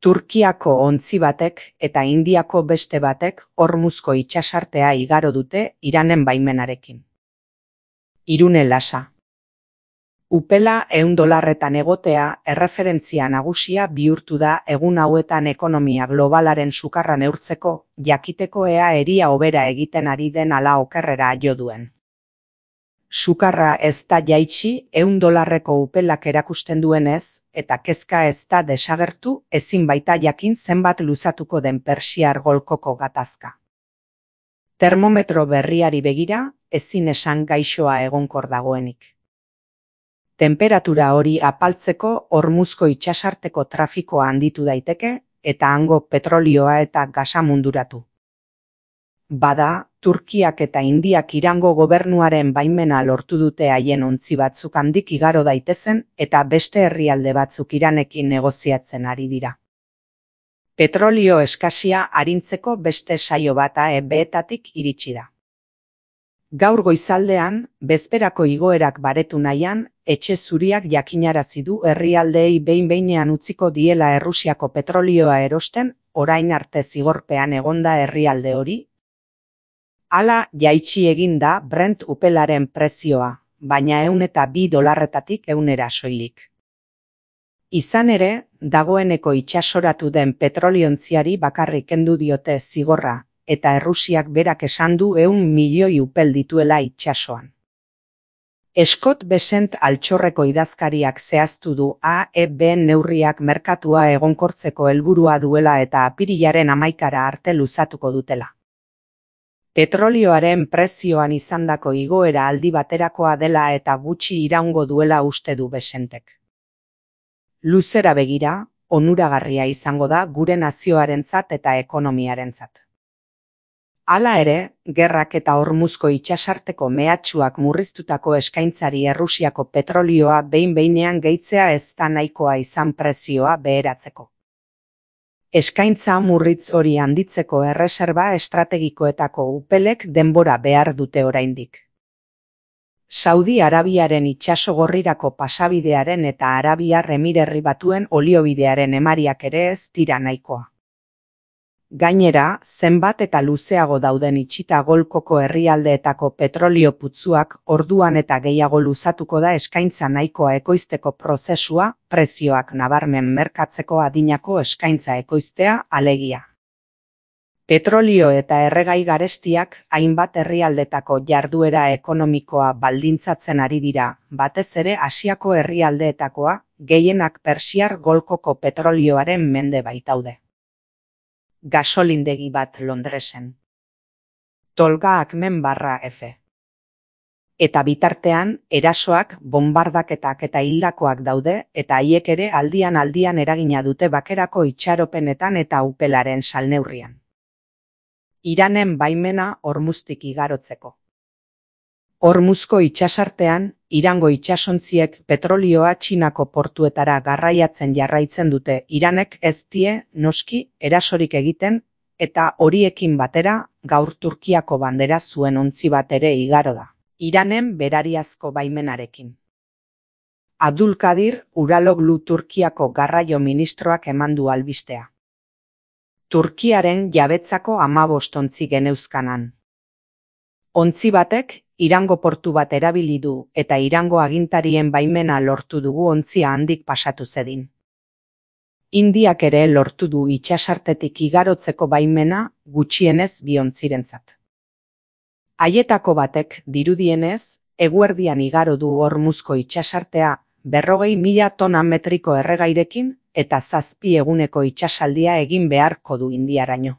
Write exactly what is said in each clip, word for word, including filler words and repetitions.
Turkiako ontzi batek eta Indiako beste batek Hormuzko itsasartea igaro dute Iranen baimenarekin. Irune Lasa. Upela ehun dolarretan egotea erreferentzia nagusia bihurtu da egun hauetan ekonomia globalaren sukarra neurtzeko, jakiteko ea eria hobera egiten ari den ala okerrera jo duen. Sukarra ez da jaitsi ehun dolarreko upelak erakusten duenez, eta kezka ez da desagertu ezin baita jakin zenbat luzatuko den Persiar golkoko gatazka. Termometro berriari begira, ezin esan gaixoa egonkor dagoenik. Tenperatura hori apaltzeko Hormuzko itsasarteko trafikoa handitu daiteke eta hango petrolioa eta gasa munduratu. Bada, Turkiak eta Indiak Irango gobernuaren baimena lortu dute haien ontzi batzuk handik igaro daitezen eta beste herrialde batzuk Iranekin negoziatzen ari dira. Petrolio eskasia arintzeko beste saio bata E B-etatik iritsi da. Gaur goizaldean, bezperako igoerak baretu nahian, Etxe Zuriak jakinarazi du herrialdeei behin-behinean utziko diela Errusiako petrolioa erosten, orain arte zigorpean egonda herrialde hori. Hala jaitsi egin da Brent upelaren prezioa, baina ehun eta bi dolarretatik ehunera soilik. Izan ere, dagoeneko itsasoratu den petroliontziari bakarrik kendu diote zigorra, eta Errusiak berak esan du ehun milioi upel dituela itsasoan. Scott Bessent altxorreko idazkariak zehaztu du A E B neurriak merkatua egonkortzeko helburua duela eta apirilaren hamaikara arte luzatuko dutela. Petrolioaren prezioan izandako igoera aldi baterakoa dela eta gutxi iraungo duela uste du Bessentek. Luzera begira, onuragarria izango da gure nazioarentzat eta ekonomiarentzat. Hala ere, gerrak eta Hormuzko itsasarteko mehatxuak murriztutako eskaintzari Errusiako petrolioa behin-behinean gehitzea ez da nahikoa izan prezioa beheratzeko. Eskaintza murritz hori handitzeko erreserba estrategikoetako upelek denbora behar dute oraindik. Saudi Arabiaren itsasogorrirako pasabidearen eta Arabiar Emirerri Batuen oliobidearen emariak ere ez dira nahikoa. Gainera, zenbat eta luzeago dauden itxita golkoko herrialdeetako petrolio putzuak orduan eta gehiago luzatuko da eskaintza nahikoa ekoizteko prozesua, prezioak nabarmen merkatzeko adinako eskaintza ekoiztea alegia. Petrolio eta erregai garestiak hainbat herrialdetako jarduera ekonomikoa baldintzatzen ari dira, batez ere Asiako herrialdeetakoa, gehienak Persiar golkoko petrolioaren mende baitaude. Gasolindegi bat Londresen. Tolga Akmen barra F. Eta bitartean, erasoak, bombardaketak eta hildakoak daude eta haiek ere aldian aldian eragina dute bakerako itxaropenetan eta upelaren salneurrian. Iranen baimena Hormuztik igarotzeko. Hormuzko itsasartean, Irango itsasontziek petrolioa Txinako portuetara garraiatzen jarraitzen dute Iranek ez die, noski, erasorik egiten, eta horiekin batera, gaur Turkiako bandera zuen ontzi bat ere igaro da, Iranen berariazko baimenarekin. Abdulkadir Uraloglu Turkiako garraio ministroak eman du albistea. Turkiaren jabetzako hamabost ontzi geneuzkanan. Ontzi batek, Irango portu bat erabili du eta Irango agintarien baimena lortu dugu ontzia handik pasatu zedin. Indiak ere lortu du itsasartetik igarotzeko baimena gutxienez bi ontzirentzat. Haietako batek dirudienez, eguerdian igaro du Hormuzko itsasartea berrogei mila tona metriko erregairekin eta zazpi eguneko itsasaldia egin beharko du Indiaraino.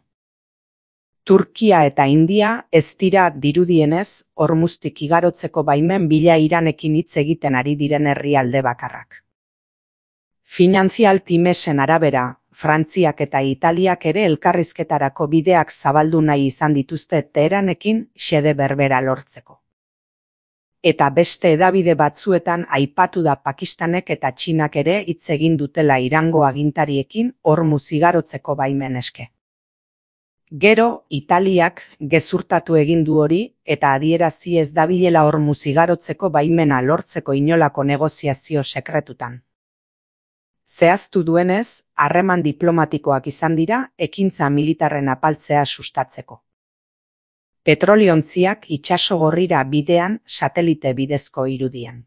Turkia eta India ez dira dirudienez Hormuztik igarotzeko baimen bila Iranekin hitz egiten ari diren herrialde bakarrak. Financial Timesen arabera, Frantziak eta Italiak ere elkarrizketarako bideak zabaldu nahi izan dituzte Teheranekin xede berbera lortzeko. Eta beste hedabide batzuetan aipatu da Pakistanek eta Txinak ere hitz egin dutela Irango agintariekin Hormuz igarotzeko baimen eske. Gero, Italiak gezurtatu egin du hori eta adierazi ez dabilela Hormuz igarotzeko baimena lortzeko inolako negoziazio sekretutan. Zehaztu duenez, harreman diplomatikoak izan dira ekintza militarren apaltzea sustatzeko. Petroliontziak itsaso gorrira bidean satelite bidezko irudian.